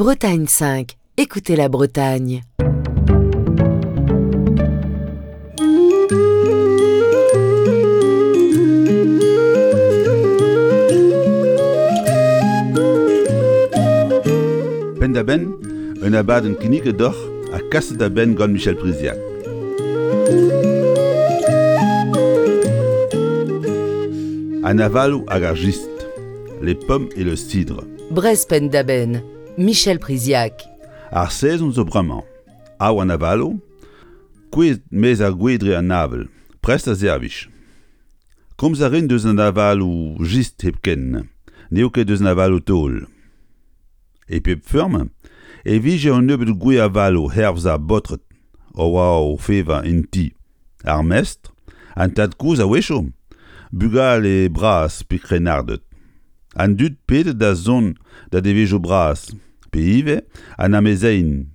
Bretagne 5, écoutez la Bretagne. Penn-da-benn, un abadenn kinniget deoc'h ha kaset da benn gant Michel Priziac. An avaloù hag ar jistr, les pommes et le cidre. Brest penn-da-benn, Michel Priziac. Ar sezon zo bremañ. Av an avaloù, kouezhet 'maez ar gwez dre an avel, prest da servij. Komz a rin deus an avaloù jistr hepken, n'eo ket deus an avaloù-taol. E pep feurm e vije un nebeud gwez avaloù hervez ar baotred a oa o vevañ en ti, ar mestr, an tad-kozh a-wechoù, bugale bras pe krennarded, an dud pedet da zont da devezhioù bras, pe ivez an amezeien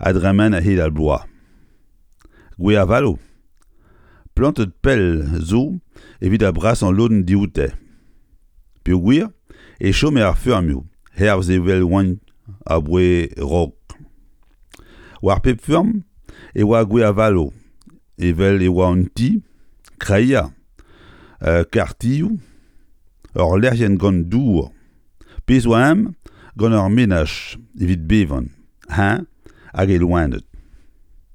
a dremen a-hed ar bloaz. Gwez avaloù, plantet pell zo evit ar brasañ lodenn dioute. Peogwir e chome ar feurmioù hervez evel oant aboae 'raok. War pep feurm e oa gwez avaloù evel e oa un ti, kreier, karrtioù, ur lec'hienn gant dour, pezh 'oa eñ gant ur menaj evit bevañ, eñ hag e loened.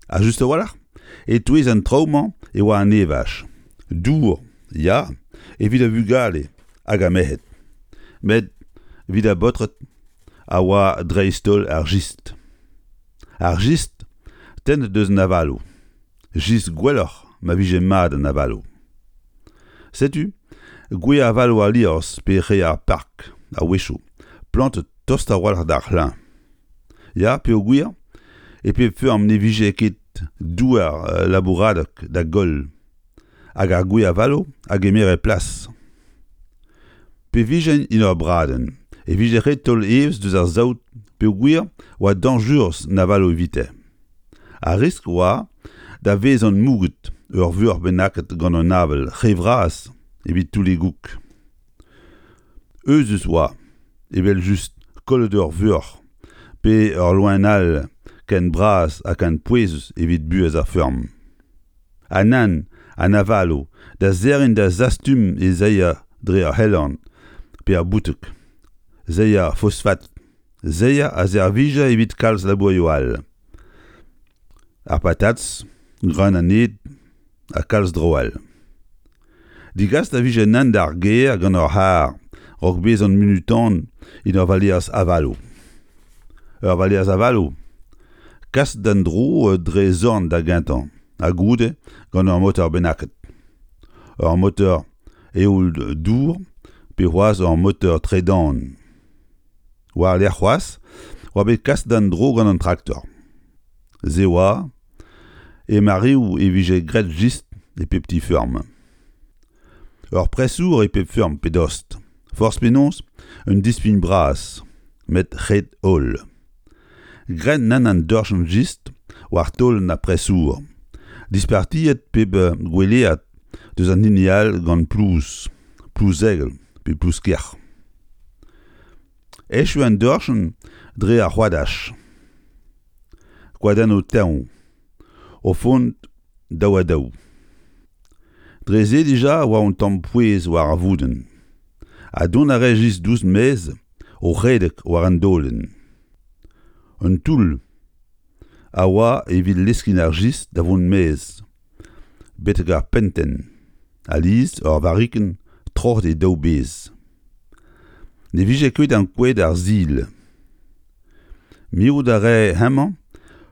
Ha just a-walc'h, e-touez an traoù-mañ e oa an evaj, dour, ya, evit ar vugale hag ar merc'hed, met evit ar baotred a oa dreist-holl ar jistr. Ar jistr tennet eus an avaloù, jistr gwelloc'h ma vije mat an avaloù. Setu gwez avaloù al liorzh pe re ar park a-wechoù, plantet tost a-walc'h d'ar c'hlañv. Ya, peogwir e pep feurm ne vije ket douar labouradeg da goll hag ar gwez avaloù a gemere plas. Pe vijent en ur bradenn e vije ret taol evezh deus ar saout peogwir oa dañjerus an avaloù evite. Ar riskl oa da vezañ mouget ur vuoc'h bennaket gant an avel re vras evit toull e goûg. Euzhus oa, evel-just, kollet ur vuoc'h pe ur loen all ken bras ha ken pouezus evit buhez ar feurm. Ha nann, an avaloù da serriñ da zastum e seier dre ar c'helorn pe ar bouteg, seier fosfat, seier a servija evit kalz labourioù all. Ar patatz, greun an ed ha kalz draoù all. Degaset a vije anezhañ d'ar gêr gant ur c'harr 'raok bezañ munutan en ur valeaz avaloù. Ur valeaz avaloù kaset d'an dro dre zorn da gentañ ha goude gant ur motor bennaket. Ur motor eoul-dour pe c'hoazh ur motor tredan. War-lerc'h c'hoazh oa bet kaset d'an dro gant an traktor. Se oa e mareoù e vije graet jistr e pep ti-feurm. Ur presour e pep feurm pe dost. Forzh penaos, un dispign bras, met ret-holl. Graet nann an dorchenn jistr war taolenn ar presour, dispartiet pep gwelead deus an hini all gant plouz, plouz-egl pe plouz-kerc'h. Echu an dorchenn dre ar c'hoadaj. Koadennoù teñv o font daou-ha-daou. Dre se dija e oa un tamm pouez war ar voudenn ha dont a rae just diouzh maez o redek war an daolenn. Un toull a oa evit leskiñ ar jistr da vont maez betek ar pentenn, alies ur varrikenn troc'het e daou bezh. Ne vije ket ankouaet ar sil. Mirout a rae hemañ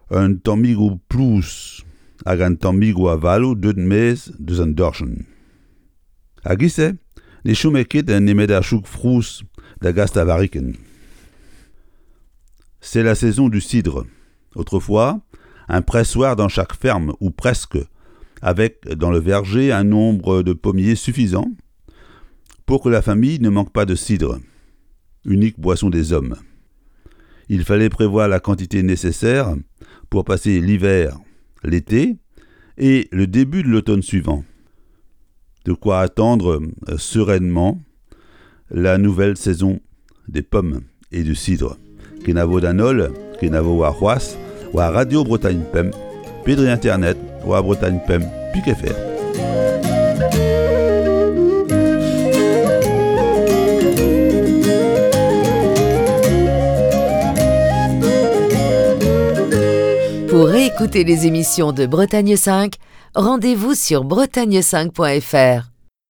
un tammigoù plouz hag an tammigoù avaloù deuet maez deus an dorchenn. A-giz-se ne chome ket nemet ar chouk frouz da gas da varrikenn. C'est la saison du cidre. Autrefois, un pressoir dans chaque ferme, ou presque, avec dans le verger un nombre de pommiers suffisant pour que la famille ne manque pas de cidre, unique boisson des hommes. Il fallait prévoir la quantité nécessaire pour passer l'hiver, l'été et le début de l'automne suivant. De quoi attendre sereinement la nouvelle saison des pommes et du cidre. Kenavo d'an holl, kenavo warc'hoazh war Radio Bretagne 5 pe dre internet war Bretagne 5 pik fr. Pour réécouter les émissions de Bretagne 5, rendez-vous sur bretagne5.fr.